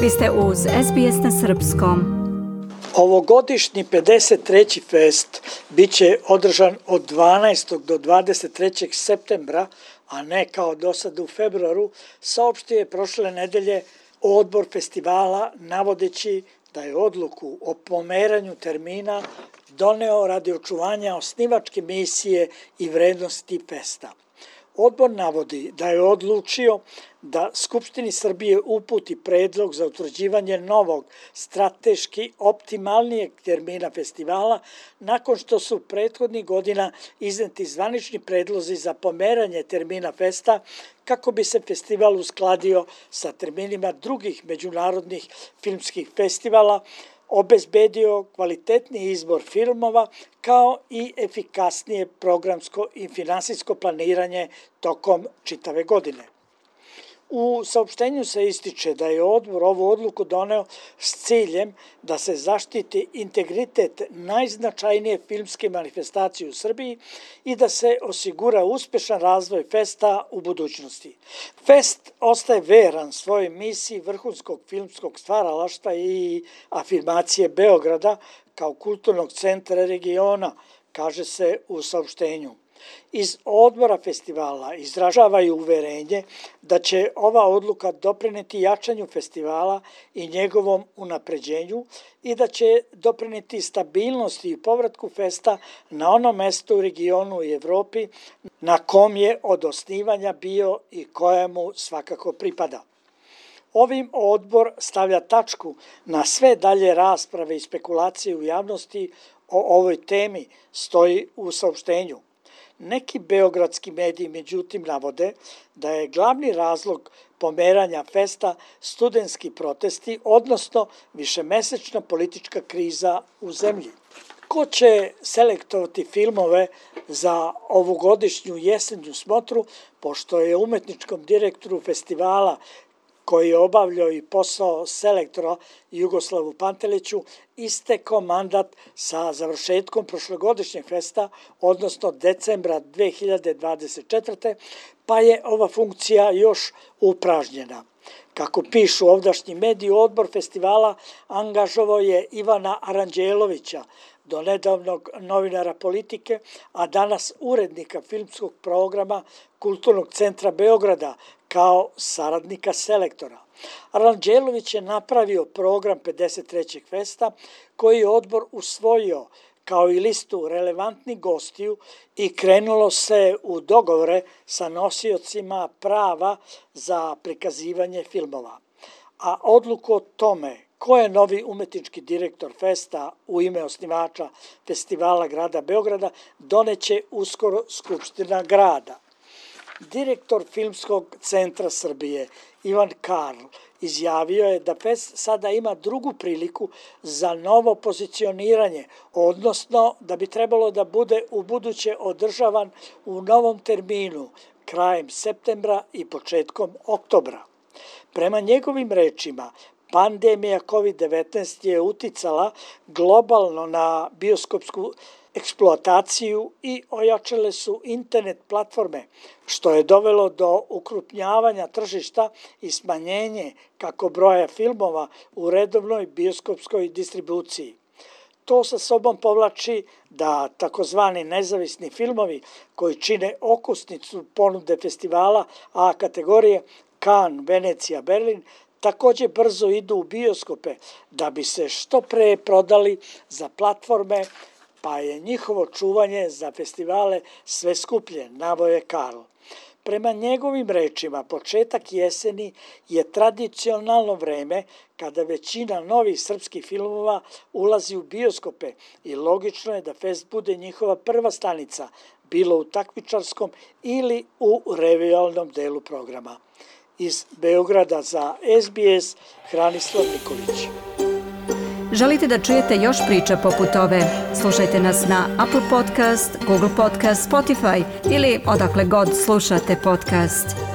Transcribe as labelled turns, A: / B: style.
A: Vi ste uz SBS na srpskom.
B: Ovogodišnji 53. fest bit će održan od 12. do 23. septembra, a ne kao do sada u februaru, saopštio je prošle nedelje odbor festivala navodeći da je odluku o pomeranju termina doneo radi očuvanja osnivačke misije i vrednosti festa. Odbor navodi da je odlučio da Skupštini Srbije uputi predlog za utvrđivanje novog, strateški optimalnijeg termina festivala nakon što su prethodnih godina izneti zvanični predlozi za pomeranje termina festa kako bi se festival uskladio sa terminima drugih međunarodnih filmskih festivala, obezbedio kvalitetni izbor filmova kao i efikasnije programsko i finansijsko planiranje tokom čitave godine. U saopštenju se ističe da je odbor ovu odluku doneo s ciljem da se zaštiti integritet najznačajnije filmske manifestacije u Srbiji i da se osigura uspešan razvoj festa u budućnosti. Fest ostaje veran svojoj misiji vrhunskog filmskog stvaralaštva i afirmacije Beograda kao kulturnog centra regiona, kaže se u saopštenju. Iz odbora festivala izražavaju uverenje da će ova odluka doprineti jačanju festivala i njegovom unapređenju i da će doprineti stabilnosti i povratku festa na ono mesto u regionu i Evropi na kom je od osnivanja bio i kojemu svakako pripada. Ovim odbor stavlja tačku na sve dalje rasprave i spekulacije u javnosti o ovoj temi, stoji u saopštenju. Neki beogradski mediji međutim navode da je glavni razlog pomeranja festa studentski protesti, odnosno višemesečna politička kriza u zemlji. Ko će selektovati filmove za ovogodišnju jesenju smotru, pošto je umetničkom direktoru festivala koji je obavljao i posao selektora Jugoslavu Panteliću, istekao mandat sa završetkom prošlogodišnjeg festa, odnosno decembra 2024. pa je ova funkcija još upražnjena. Kako pišu ovdašnji mediji, odbor festivala angažovao je Ivana Aranđelovića, do nedavnog novinara Politike, a danas urednika filmskog programa Kulturnog centra Beograda kao saradnika selektora. Aranđelović je napravio program 53. festa koji je odbor usvojio kao i listu relevantnih gostiju i krenulo se u dogovore sa nosiocima prava za prikazivanje filmova. A odluku o tome ko je novi umetnički direktor festa u ime osnivača festivala grada Beograda doneće uskoro Skupština grada. Direktor Filmskog centra Srbije Ivan Karl izjavio je da fest sada ima drugu priliku za novo pozicioniranje, odnosno da bi trebalo da bude ubuduće održavan u novom terminu krajem septembra i početkom oktobra. Prema njegovim rečima, pandemija COVID-19 je uticala globalno na bioskopsku eksploataciju i ojačale su internet platforme, što je dovelo do ukrupnjavanja tržišta i smanjenje kako broja filmova u redovnoj bioskopskoj distribuciji. To sa sobom povlači da takozvani nezavisni filmovi koji čine okusnicu ponude festivala A kategorije Cannes, Venecija, Berlin, također brzo idu u bioskope da bi se što pre prodali za platforme, pa je njihovo čuvanje za festivale sve skuplje, navoje Karl. Prema njegovim rečima, početak jeseni je tradicionalno vreme kada većina novih srpskih filmova ulazi u bioskope i logično je da fest bude njihova prva stanica, bilo u takmičarskom ili u revijalnom delu programa. Iz Beograda za SBS, Hranislav Nikolić.
A: Želite da čujete još priča poput ove? Slušajte nas na Apple Podcast, Google Podcast, Spotify ili odakle god slušate podcast.